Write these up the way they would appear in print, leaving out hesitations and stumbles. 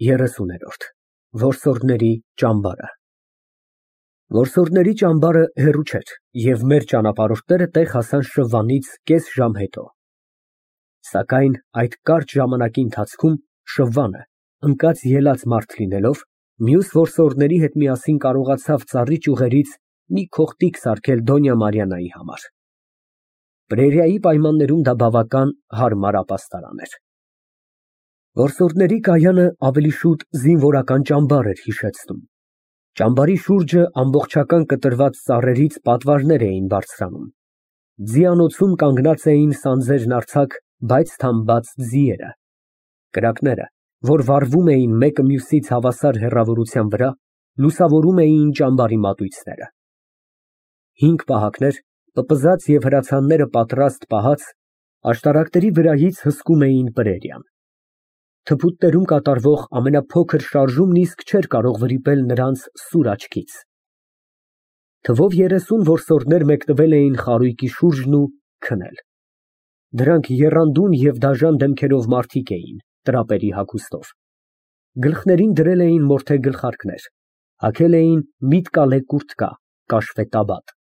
30 Որսորդների ճամբարը Որսորդների ճամբարը հեռու չէր, և մեր ճանապարհորդները տեղ հասան Շվվանից կես ժամ հետո։ Սակայն այդ կարճ ժամանակի ընթացքում Շվվանը, ընկած֊ելած մարդ լինելով, մյուս որսորդների հետ միասին կարողացավ ծառի ճյուղերից մի քողտիկ սարքել Դոնյա Մարիաննայի համար։ Պրերիայի պայմաններում դա բավական հարմար ապաստարան էր։ Որսորդների կայանը ավելի շուտ զինվորական ճամբար էր հիշեցնում։ Ճամբարի շուրջը ամբողջական կտրված ծառերից պատվարներ էին բարձրանում։ Ձիանոցում կանգնած էին սանձերն արձակ, բայց թամբած ձիերը։ Կրակները, որ վառվում էին մեկը մյուսից հավասար հեռավորության վրա, լուսավորում էին ճամբարի մատույցները։ 5 պահակներ, պպզած և հրացանները պատրաստ պահած, աշտարակների վրայից հսկում էին պրերիան։ Թփուտներում կատարվող ամենափոքր շարժումն իսկ չէր կարող վրիպել նրանց սուր աչքից։ Թվով 30 որսորդներ մեկնվել էին խարույկի շուրջն ու քնել։ Դրանք եռանդուն և դաժան դեմքերով մարդիկ էին, տրապերի հագուստով։ Գլխներին դրել էին մորթե գլխարկներ, հագել էին միտկալե կուրտկա, կաշվե տաբատ։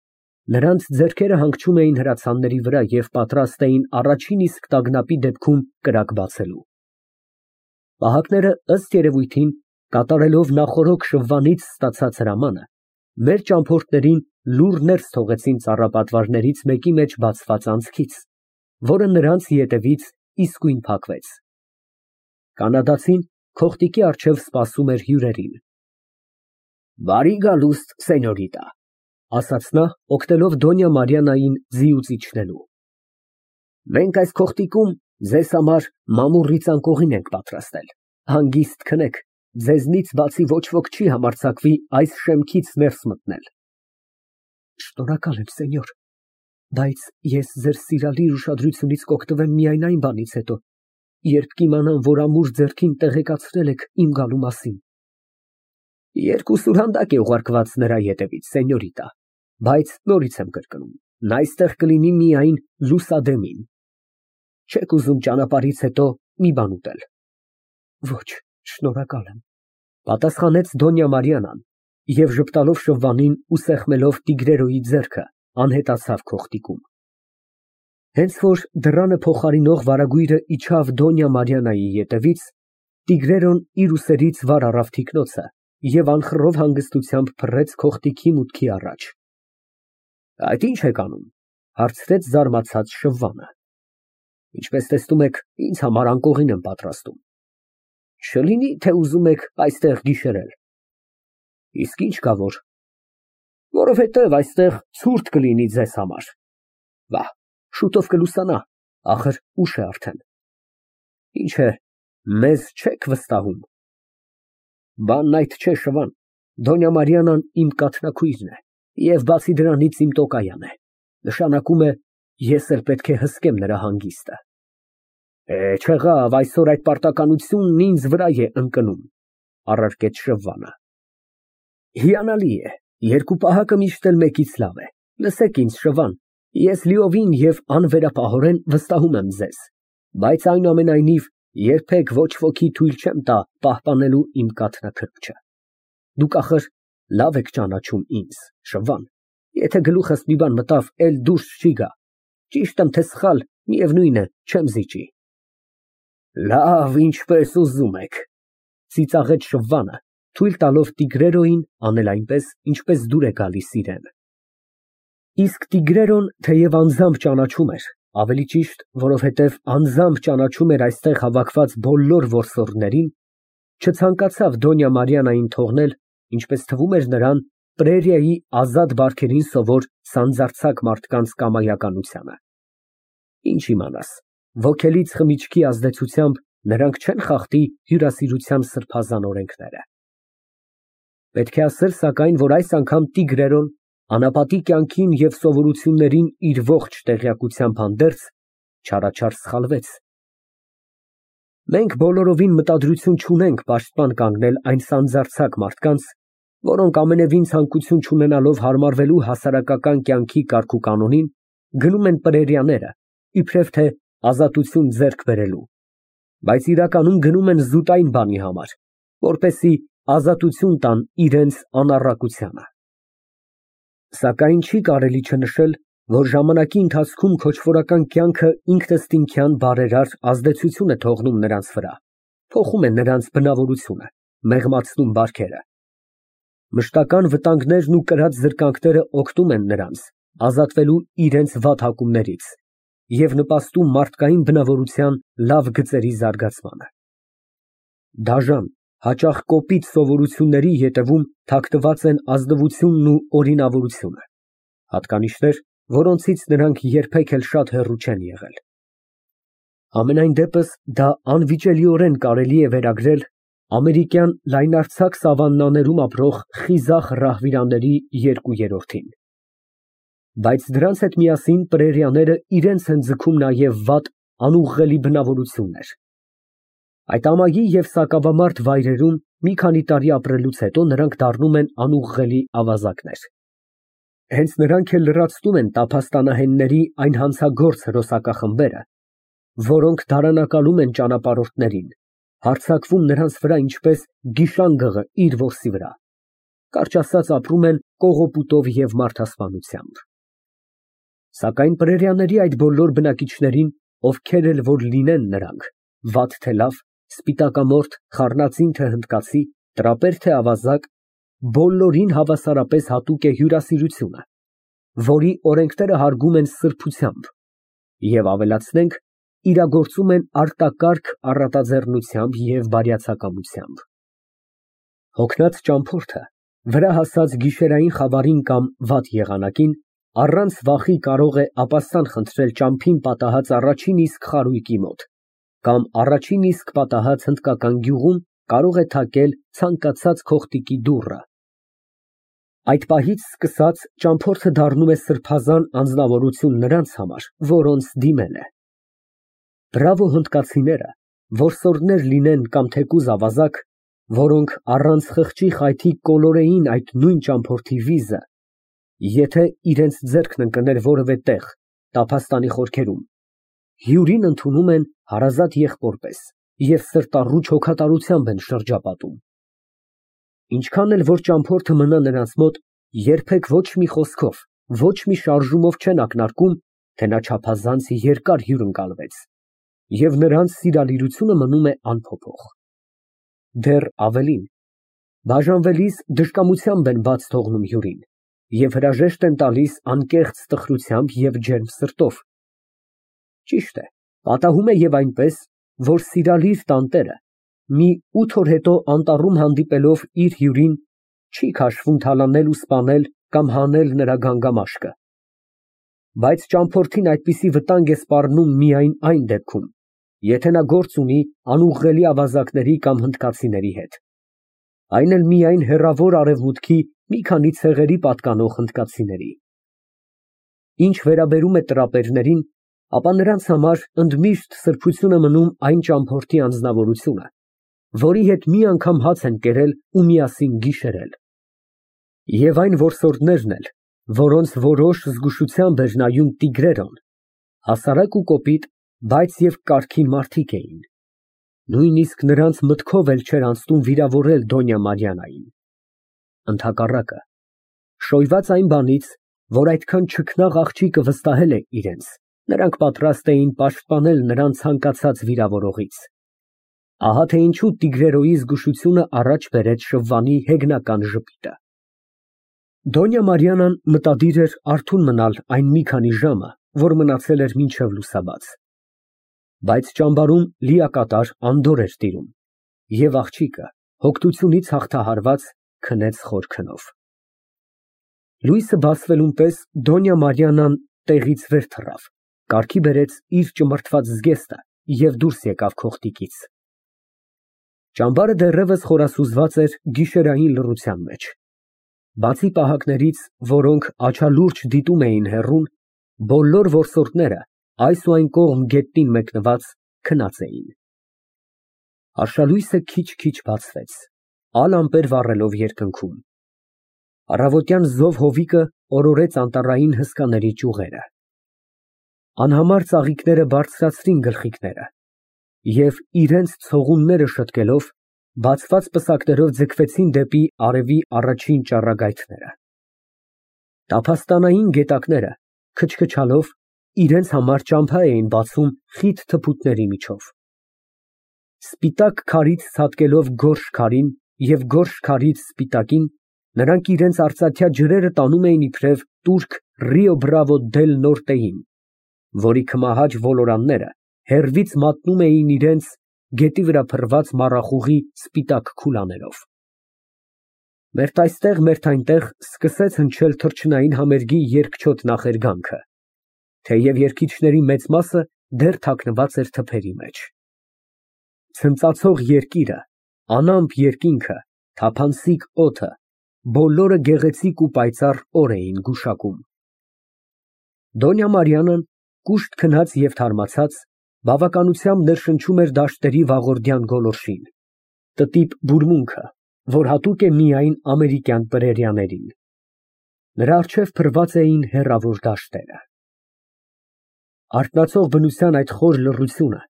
Նրանց ձեռքերը հանգչում էին հրացանների վրա և պատրաստ էին առաջին իսկ տագնապի դեպքում կրակ բացելու։ Պահակները, ըստ երևույթին, կատարելով նախօրոք Շվվանից ստացած հրամանը, մեր ճամփորդներին լուռ ներս թողեցին ծառապատվարներից մեկի մեջ բացված անցքից, որը նրանց ետևից իսկույն փակվեց։ Կանադացին քողտիկի առջև սպասում էր հյուրերին։ Բարի գալուստ, սենյորիտա, ասաց նա, օգնելով Դոնյա Մարիաննային ձիուց իջնելու։ Մենք այս քողտիկում ձեզ համար մամուռի ծանկողին ենք պատրաստել, հանգիստ քնեք, ձեզնից բացի ոչ ոք չի համարձակվի այս շեմքից ներս մտնել։ Շնորհակալ եմ, սենյոր, բայց ես ձեր սիրալիր ուշադրությունից կօգտվեմ միայն այն բանից հետո, երբ կիմանամ, որ ամուր ձեռքին տեղեկացրել եք իմ գալու մասին։ Երկու սուրհանդակ է ուղարկված նրա ետևից, սենյորիտա, բայց նորից եմ կրկնում, նա այստեղ կլինի միայն լուսադեմին։ Չեք ուզում ճանապարհից հետո մի բան ուտել։ Ոչ, շնորհակալ եմ, պատասխանեց Դոնյա Մարիաննան և ժպտալով Շվվանին ու սեղմելով տիգրերոյի ձեռքը, անհետացավ քողտիկում։ Հենց որ դռանը փոխարինող վարագույրը իջավ Դոնյա Մարիաննայի ետևից, տիգրերոն իր ուսերից վար առավ թիկնոցը և անխռով հանգստությամբ փռեց քողտիկի մուտքի առաջ։ Այդ ի՞նչ եք անում, հարցրեց զարմացած Շվվանը։ Ինչպես տեսնում եք, ինձ համար անկողին եմ պատրաստում։ Չլինի, թե ուզում եք այստեղ գիշերել։ Իսկ ինչ կա որ։ Որովհետև այստեղ ցուրտ կլինի ձեզ համար։ Վահ, շուտով կլուսանա, ախր ուշ է արդեն։ Ինչ է, մեզ չեք վստահում։ Բանն այդ չէ, Շվան, Դոնյա Մարիաննան իմ կաթնակույրն է, և բացի դրանից իմ տոկայան է, նշանակում է, ես էլ պետք է հսկեմ նրա հանգիստը։ Չեղավ, այսօր այդ պարտականությունն ինձ վրա է ընկնում, առարկեց Շվվանը։ Հիանալի է, երկու պահակը միշտ էլ մեկից լավ է։ Լսեք ինձ, Շվան, ես լիովին և անվերապահորեն վստահում եմ ձեզ, բայց այնուամենայնիվ երբեք ոչ ոքի թույլ չեմ տա պահպանելու իմ կաթնաքրտչը։ Դուք ախր լավ եք ճանաչում ինձ, Շվվան, եթե գլուխս մի բան մտավ, էլ դուրս չի գա, ճիշտ եմ, թե սխալ, միևնույն է, չեմ զիջի։ Լավ, ինչպես ուզում եք, ծիծաղեց Շվվանը, թույլ տալով տիգրերոյին անել այնպես, ինչպես դուր է գալիս իրան։ Իսկ տիգրերոն, թեև անձամբ ճանաչում էր, ավելի ճիշտ, որովհետև անձամբ ճանաչում էր այստեղ հավաքված բոլոր որսորդներին, չցանկացավ Դոնյա Մարիաննային թողնել, ինչպես թվում էր նրան, պրերիայի ազատ բարքերին սովոր սանձարձակ մարդկանց կամայականությանը։ Ինչ իմանաս, ոգելից խմիչքի ազդեցությամբ նրանք չեն խախտի հյուրասիրության սրբազան օրենքները։ Պետք է ասել, սակայն, որ այս անգամ տիգրերոն անապատի կյանքին և սովորություններին իր ողջ տեղյակությամբ հանդերձ չարաչար սխալվեց։ Մենք բոլորովին մտադրություն չունենք պաշտպան կանգնել այն սանձարձակ մարդկանց, որոնք ամենևին ցանկություն չունենալով հարմարվելու հասարակական կյանքի կարգուկանոնին, գնում են պրերիաները, իբրև թե ազատություն ձեռք բերելու, բայց իրականում գնում են զուտ այն բանի համար, որպեսզի ազատություն տան իրենց անառակությանը։ Սակայն չի կարելի չնշել, որ ժամանակի ընթացքում քոչվորական կյանքը ինքնըստինքյան բարերար ազդեցություն է թողնում նրանց վրա, փոխում է նրանց բնավորությունը, մեղմացնում բարքերը։ Մշտական վտանգներն ու կրած զրկանքները օգնում են նրանց ազատվելու իրենց վատ հակումներից և նպաստում մարդկային բնավորության լավ գծերի զարգացմանը։ Դաժան, հաճախ կոպիտ սովորությունների ետևում թաքնված են ազնվությունն ու օրինավորությունը, հատկանիշներ, որոնցից նրանք երբեք էլ շատ հեռու չեն եղել։ Համենայն դեպս դա անվիճելիորեն կարելի է վերագրել ամերիկյան լայնարձակ սավաննաներում ապրող խիզախ ռահվիրաների 2/3-ին։ Բայց դրանց հետ միասին պրերիաները իրենց են ձգում նաև վատ, անուղղելի բնավորություններ։ Այդ ամայի և սակավամարդ վայրերում մի քանի տարի ապրելուց հետո նրանք դառնում են անուղղելի ավազակներ։ Հենց նրանք էլ լրացնում են տափաստանահենների այն հանցագործ հրոսակախմբերը, որոնք դարանակալում են ճանապարհորդներին, հարձակվում նրանց վրա ինչպես գիշանգղը իր որսի վրա, կարճ ասած ապրում են կողոպուտով և մարդասպանությամբ։ Սակայն պրերիաների այդ բոլոր բնակիչներին, ովքեր էլ որ լինեն նրանք, վատ թե լավ, սպիտակամորթ, խառնածին թե հնդկացի, տրապեր թե ավազակ, բոլորին հավասարապես հատուկ է հյուրասիրությունը, որի օրենքները հարգում են սրբությամբ և ավելացնենք, իրագործում են արտակարգ առատաձեռնությամբ և բարյացակամությամբ։ Հոգնած ճամփորդը վրա հասած գիշերային խավարին կամ վատ եղանակին առանց վախի կարող է ապաստան խնդրել ճամփին պատահած առաջին իսկ խարույկի մոտ, կամ առաջին իսկ պատահած հնդկական գյուղում կարող է թակել ցանկացած քողտիկի դուռը։ Այդ պահից սկսած ճամփորդը դառնում է սրբազան անձնավորություն նրանց համար, որոնց դիմել է։ Բրավո հնդկացիները, որսորդներ լինեն կամ թեկուզ ավազակ, որոնք առանց խղճի խայթի կոլորեին այդ նույն ճամփորդի վիզը, եթե իրենց ձեռքն ընկներ որևէ տեղ, տափաստանի խորքերում, հյուրին ընդունում են հարազատ եղբոր պես և սրտառուչ հոգատարությամբ են շրջապատում։ Ինչքան էլ որ ճամփորդը մնա նրանց մոտ, երբեք ոչ մի խոսքով, ոչ մի շարժումով չեն ակնարկում, թե նա չափազանց երկար հյուրընկալվեց, և նրանց սիրալիրությունը մնում է անփոփոխ։ Դեռ ավելին, բաժանվելիս դժկամությամբ են բաց թողնում հյուրին և հրաժեշտ են տալիս անկեղծ տխրությամբ և ջերմ սրտով։ Ճիշտ է, պատահում է և այնպես, որ սիրալիր տանտերը մի 8 օր հետո անտառում հանդիպելով իր հյուրին, չի քաշվում թալանել ու սպանել կամ հանել նրա գանգամաշկը։ Բայց ճամփորդին այդպիսի վտանգ է սպառնում միայն այն դեպքում, եթե նա գործ ունի անուղղելի ավազակների կամ հնդկացիների հետ, այն էլ միայն հեռավոր արևմուտքի մի քանի ցեղերի պատկանող հնդկացիների։ Ինչ վերաբերում է տրապերներին, ապա նրանց համար ընդմիշտ սրբություն է մնում այն ճամփորդի անձնավորությունը, որի հետ մի անգամ հաց են կերել ու միասին գիշերել։ Եվ այն որսորդներն էլ, որոնց որոշ զգուշությամբ էր նայում Տիգրերոն, հասարակ ու կոպիտ, բայց և կարգին մարդիկ էին։ Նույնիսկ նրանց մտքով էլ չէր անցնում վիրավորել Դոնյա Մարիաննային։ Ընդհակառակը, շոյված այն բանից, որ այդքան չքնաղ աղջիկը վստահել է իրենց, նրանք պատրաստ էին պաշտպանել նրան ցանկացած վիրավորողից։ Ահա թե ինչու Տիգրերոյի զգուշությունը առաջ բերեց շվվանի հեգնական ժպիտը։ Դոնյա Մարիաննան մտադիր էր արթուն մնալ այն մի քանի ժամը, որ մնացել էր մինչև լուսաբաց։ Բայց ճամբարում լիակատար անդորր էր տիրում, և աղջիկը, հոգնությունից հաղթահարված, քնեց խոր քնով։ Լույսը բացվելուն պես Դոնյա Մարիաննան տեղից վեր թռավ, կարգի բերեց իր ճմրթված զգեստը և դուրս եկավ քողտիկից։ Ճամբարը դեռևս խորասուզված էր գիշերային լռության մեջ։ Բացի պահակներից, որոնք աչալուրջ դիտում էին հեռուն, բոլոր որսորդները այս ու այն կողմ գետնին մեկնված քնած էին։ Արշալույսը քիչ-քիչ բացվեց, ալ ամպեր վառելով երկնքում։ Առավոտյան զով հովիկը օրորեց անտառային հսկաների ճյուղերը։ Անհամար ծաղիկները բարձրացրին գլխիկները և իրենց ցողունները շտկելով բացված պսակներով ձգվեցին դեպի արևի առաջին ճառագայթները։ Տափաստանային գետակները, քչքչալով, իրենց համար ճամփա էին բացում խիտ թփուտների միջով։ Սպիտակ քարից ցատկելով գորշ քարին և գորշ քարից սպիտակին, նրանք իրենց արծաթյա ջրերը տանում էին իբրև տուրք Ռիո Բրավո դել Նորտեին, որի քմահաճ ոլորանները հեռվից մատնում էին իրենց գետի վրա փռված մառախուղի սպիտակ քուլաներով։ Մերթ այստեղ, մերթ այնտեղ սկսեց հնչել թռչնային համերգի երկչոտ նախերգանքը, թեև երգիչների մեծ մասը դեռ թաքնված էր թփերի մեջ։ Ցնծացող երկիրը, անամպ երկինքը, թափանցիկ օդը, բոլորը գեղեցիկ ու պայծառ օր էին գուշակում։ Դոնյա Մարիանան, կուշտ քնած և թարմացած, բավականությամբ ներշնչում էր դաշտերի վաղորդյան գոլորշին, տտիպ բուրմունքը, որ հատուկ է միայն ամերիկյան պրերիաներին։ Նրա առջև փռված էին հեռավոր դաշտերը։ Արթնացող բնության այդ խոր լռությունը,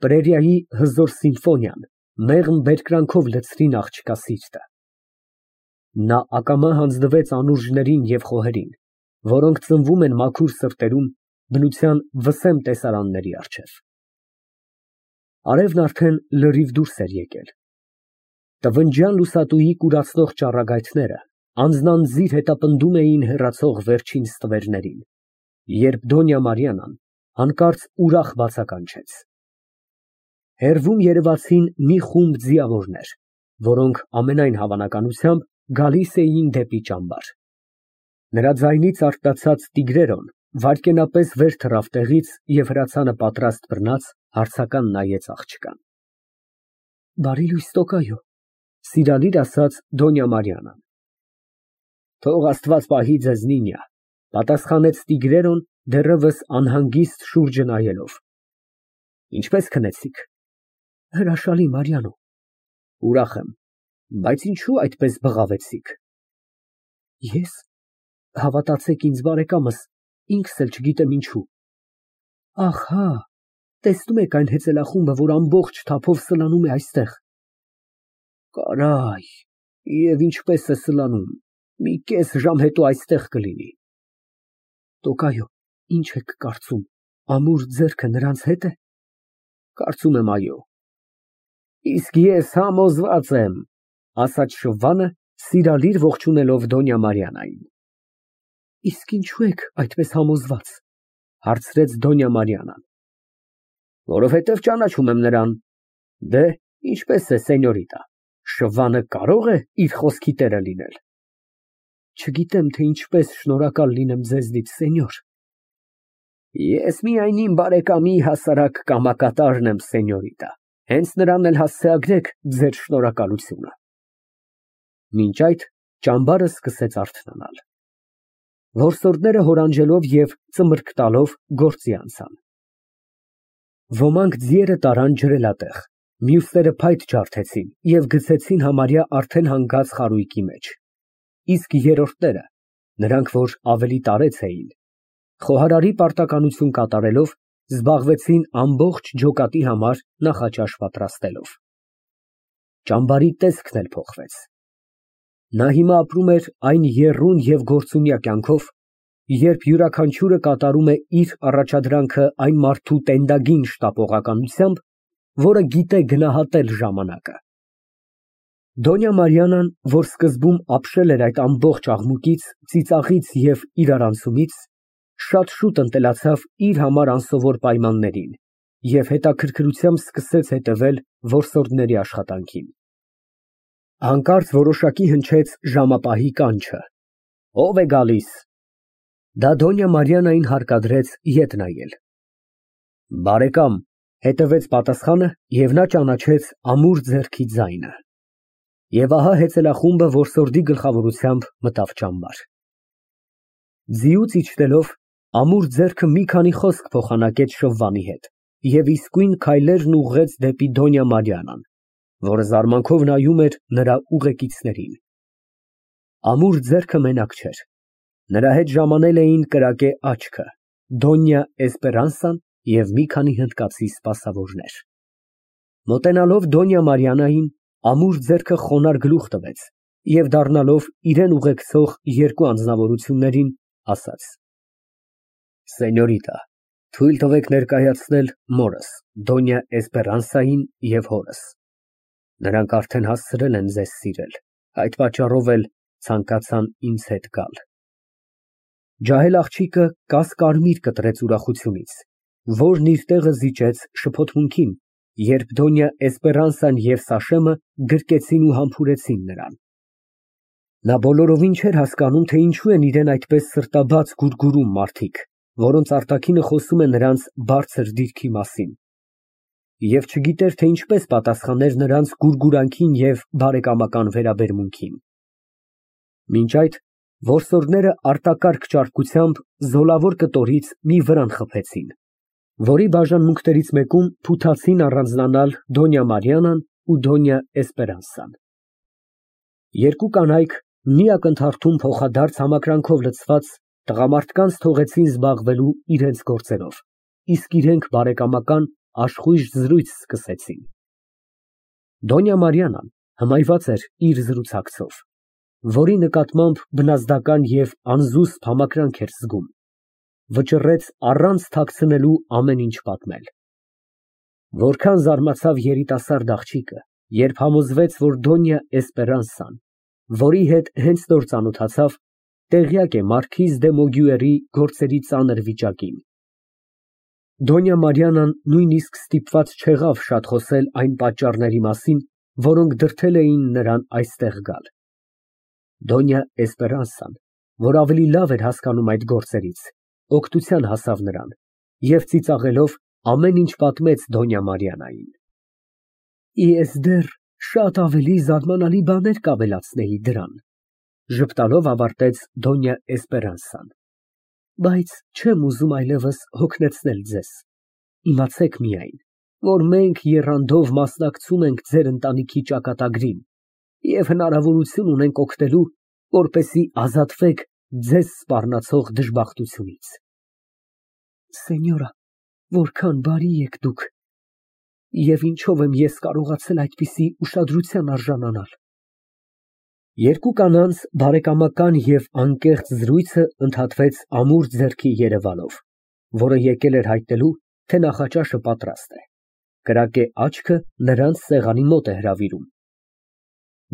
պրերիայի հզոր սիմֆոնիան, մեղմ բերկրանքով լցրին աղջկա սիրտը։ Նա ակամա հանձնվեց անուրջներին և խոհերին, որոնք ծնվում են մաքուր սրտերում, բնության վսեմ տեսարանների առջև։ Արևն արդեն լրիվ դուրս էր եկել։ Տվնջյան լուսատուի կուրացնող ճառագայթները անձնանձիր հետապնդում էին հեռացող վերջին ստվերներին, երբ Դոնյա Մարիանան հանկարծ ուրախ բացականչեց։ Հեռվում երևացին մի խումբ ձիավորներ, որոնք ամենայն հավանականությամբ գալիս էին դեպի ճամբար։ Նրա ձայնից արթնացած Տիգրերոն վայրկենապես վեր թռավ տեղից և հրացանը պատրաստ բռնած հարցական նայեց աղջկան։ Բարի լույս, տոկայո, սիրալիր ասաց Դոնյա Մարիանան։ Թող Աստված պահի ձեզ, նինյա, պատասխանեց Տիգրերոն դեռևս անհանգիստ շուրջը նայելով։ Ինչպես քնեցիք։ Հրաշալի, Մարիանո։ Ուրախ եմ, բայց ինչու այդպես բղավեցիք։ Ես, հավատացեք ինձ, բարեկամս, ինքս էլ չգիտեմ ինչու։ Ահ, հա, տեսնում եք այն հեծելախումբը, որ ամբողջ թափով սլանում է այստեղ։ Կարայ, և ինչպես է սլանում, մի կես ժամ հետո այստեղ կլինի։ Տոկայո, ինչ եք կարծում, ամուր ձեռքը նրանց հետ է։ Կարծում եմ, այո։ Իսկ ես համոզված եմ, ասաց շվվանը, սիրալիր ողջունելով Դոնյա Մարիանային։ Իսկ ինչու եք այդպես համոզված, հարցրեց Դոնյա Մարիանան։ Որովհետև ճանաչում եմ նրան։ Դե, ինչպես է, սենյորիտա, շվվանը կարո՞ղ է իր խոսքի տերը լինել։ Չգիտեմ, թե ինչպես շնորհակալ լինեմ ձեզնից, սենյոր։ Ես միայն իմ բարեկամի հասարակ կամակատարն եմ, սենյորիտա, հենց նրան էլ հասցեագրեք ձեր շնորհակալությունը։ Մինչ այդ ճամբարը սկսեց արթնանալ։ Որսորդները հորանջելով և ծմրկ տալով գործի անցան։ Ոմանք ձիերը տարան ջրելատեղ, մյուսները փայտ ջարդեցին և գցեցին համարյա արդեն հանգած խարույկի մեջ, իսկ երրորդները, նրանք, որ ավելի տարեց էին, խոհարարի պարտականություն կատարելով, զբաղվեցին ամբողջ ջոկատի համար նախաճաշ պատրաստելով։ Ճամբարի տեսքն էլ փոխվեց։ Նա հիմա ապրում էր այն եռուն և գործունյա կյանքով, երբ յուրաքանչյուրը կատարում է իր առաջադրանքը այն մարդու տենդագին շտապողականությամբ, որը գիտե գնահատել ժամանակը։ Դոնյա Մարիանան, որ սկզբում ապշել էր այդ ամբողջ աղմուկից, ծիծաղից և իրարանցումից, շատ շուտ ընտելացավ իր համար անսովոր պայմաններին և հետաքրքրությամբ սկսեց հետևել որսորդների աշխատանքին։ Հանկարծ որոշակի հնչեց ժամապահի կանչը։ Ո՞վ է գալիս։ Դա Դոնյա Մարիանային հարկադրեց ետ նայել։ Բարեկամ, հետևեց պատասխանը, և նա ճանաչեց ամուր ձեռքի ձայնը։ Եվ ահա հեծելախումբը որսորդի գլխավորությամբ մտավ ճամբար։ Ձիուց իջնելով, ամուր ձեռքը մի քանի խոսք փոխանակեց շվվանի հետ և իսկույն քայլերն ուղղեց դեպի Դոնյա Մարիանան, որը զարմանքով նայում էր նրա ուղեկիցներին։ Ամուր ձեռքը մենակ չէր։ Նրա հետ ժամանել էին կրակե աչքը, Դոնյա Էսպերանսան և մի քանի հնդկացի սպասավորներ։ Մոտենալով Դոնյա Մարիանային, Ամուր ձեռքը խոնարհ գլուխ տվեց և դառնալով իրան ուղեկցող երկու անձնավորություններին, ասաց. Սենյորիտա, թույլ տվեք ներկայացնել մորս, Դոնյա Էսպերանսային և հորս. նրանք արդեն հասցրել են ձեզ սիրել, այդ պատճառով էլ ցանկացան ինձ հետ գալ։ Ջահել աղջիկը կաս֊կարմիր կտրեց ուրախությունից, որն իր տեղը զիջեց շփոթմունքին, երբ Դոնյա Էսպերանսան և Սաշեմը գրկեցին ու համբուրեցին նրան։ Նա բոլորովին չէր հասկանում, թե ինչու են իրան այդպես սրտաբաց գուրգուրում մարդիկ, որոնց արտաքինը խոսում է նրանց բարձր դիրքի մասին, և չգիտեր, թե ինչպես պատասխաներ նրանց գուրգուրանքին և բարեկամական վերաբերմունքին։ Մինչ այդ որսորդները արտակարգ ճարպկությամբ զոլավոր կտորից մի վրան խփեցին, որի բաժանմունքներից մեկում փութացին առանձնանալ Դոնյա Մարիանան ու Դոնյա Էսպերանսան։ Երկու կանայք մի ակնթարթում փոխադարձ համակրանքով լցված տղամարդկանց թողեցին զբաղվելու իրենց գործերով, իսկ իրենք բարեկամական աշխույժ զրույց սկսեցին։ Դոնյա Մարիանան հմայված էր իր զրուցակցով, որի նկատմամբ բնազդական և անզուսպ համակրանք էր զգում, վճռեց առանց թաքցնելու ամեն ինչ պատմել։ Որքան զարմացավ երիտասարդ աղջիկը, երբ համոզվեց, որ Դոնյա Էսպերանսան, որի հետ հենց նոր ծանոթացավ, տեղյակ է մարքիզ դե Մոգյուերի գործերի ծանր վիճակին։ Դոնյա Մարիանան նույնիսկ ստիպված չեղավ շատ խոսել այն պատճառների մասին, որոնք դրդել էին նրան այստեղ գալ։ Դոնյա Էսպերանսան, որ ավելի լավ էր հասկանում այդ գործերից, օգնության հասավ նրան և ծիծաղելով ամեն ինչ պատմեց Դոնյա Մարիանային։ Ես դեռ շատ ավելի զարմանալի բաներ կավելացնեի դրան, ժպտալով ավարտեց Դոնյա Էսպերանսան, բայց չեմ ուզում այլևս հոգնեցնել ձեզ, իմացեք միայն, որ մենք եռանդով մասնակցում ենք ձեր ընտանիքի ճակատագրին և հնարավորություն ունենք օգնելու, որպեսզի ազատվեք ձեզ սպառնացող դժբախտությունից։ Սենյորա, որքան բարի եք դուք, և ինչով եմ ես կարողացել այդպիսի ուշադրության արժանանալ։ Երկու կանանց բարեկամական և անկեղծ զրույցը ընդհատվեց ամուր ձեռքի երևանով, որը եկել էր հայտնելու, թե նախաճաշը պատրաստ է։ Կրակե աչքը նրանց սեղանի մոտ է հրավիրում։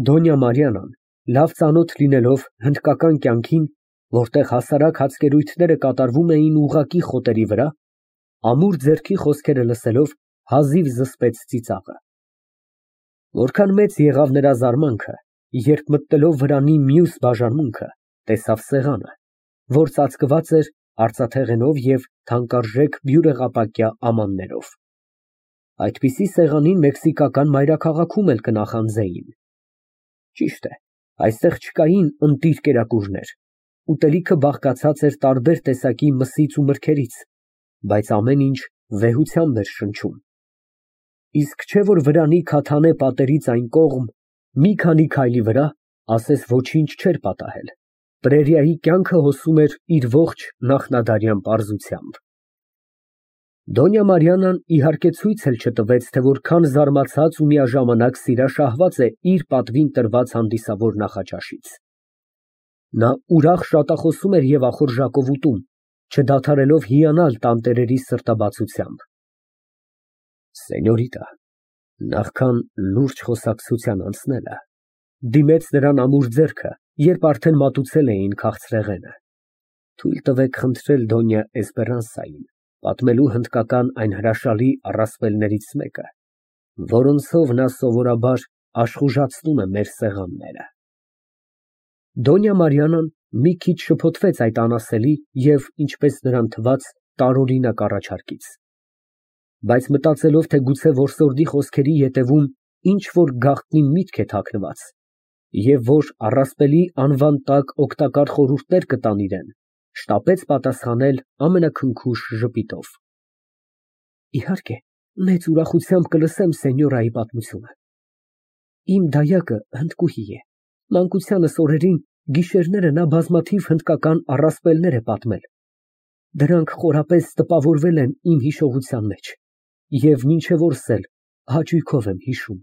Դոնյա Մարիանան, լավ ծանոթ լինելով հնդկական կյանքին, որտեղ հասարակ հացկերույթները կատարվում էին ուղղակի խոտերի վրա, ամուր ձեռքի խոսքերը լսելով հազիվ զսպեց ծիծաղը։ Որքան մեծ եղավ նրա զարմանքը, երբ մտնելով վրանի մյուս բաժանմունքը, տեսավ սեղանը, որ ծածկված էր արծաթեղենով և թանկարժեք բյուրեղապակյա ամաններով։ Այդպիսի սեղանին մեքսիկական մայրաքաղաքում էլ կնախանձեին։ Ճիշտ է, այստեղ չկային ընտիր կերակուրներ, ուտելիքը բաղկացած էր տարբեր տեսակի մսից ու մրգերից, բայց ամեն ինչ վեհությամբ էր շնչում։ Իսկ չէ՞ որ վրանի քաթանե պատերից այն կողմ, մի քանի քայլի վրա, ասես ոչինչ չէր պատահել, պրերիայի կյանքը հոսում էր իր ողջ նախնադարյան պարզությամբ։ Դոնյա Մարիանան իհարկե ցույց էլ չտվեց, թե որքան զարմացած ու միաժամանակ սիրաշահված է իր պատվին տրված հանդիսավոր նախաճաշից։ Նա ուրախ շատախոսում էր և ախորժակով ուտում, չդադարելով հիանալ տանտերերի սրտաբացությամբ։ Սենյորիտա, նախքան լուրջ խոսակցության անցնելը, դիմեց նրան ամուր ձեռքը, երբ արդեն մատուցել էին քաղցրեղենը, թույլ տվեք խնդրել Դոնյա Էսպերանսային պատմելու հնդկական այն հրաշալի առասպելներից մեկը, որոնցով նա սովորաբար աշխուժացնում է մեր սեղանները։ Դոնյա Մարիանան մի քիչ շփոթվեց այդ անասելի և, ինչպես նրան թվաց, տարօրինակ առաջարկից, բայց մտածելով, թե գուցե որսորդի խոսքերի ետևում ինչ֊որ գաղտնի միտք է թաքնված, և որ առասպելի անվան տակ օգտակար խորհուրդներ կտան իրան, շտապեց պատասխանել ամենաքնքուշ ժպիտով։ Իհարկե, մեծ ուրախությամբ կլսեմ սենյորայի պատմությունը։ Իմ դայակը հնդկուհի է, մանկությանս օրերին գիշերները նա բազմաթիվ հնդկական առասպելներ է պատմել, դրանք խորապես տպավորվել են իմ հիշողության մեջ և մինչև օրս էլ հաճույքով եմ հիշում։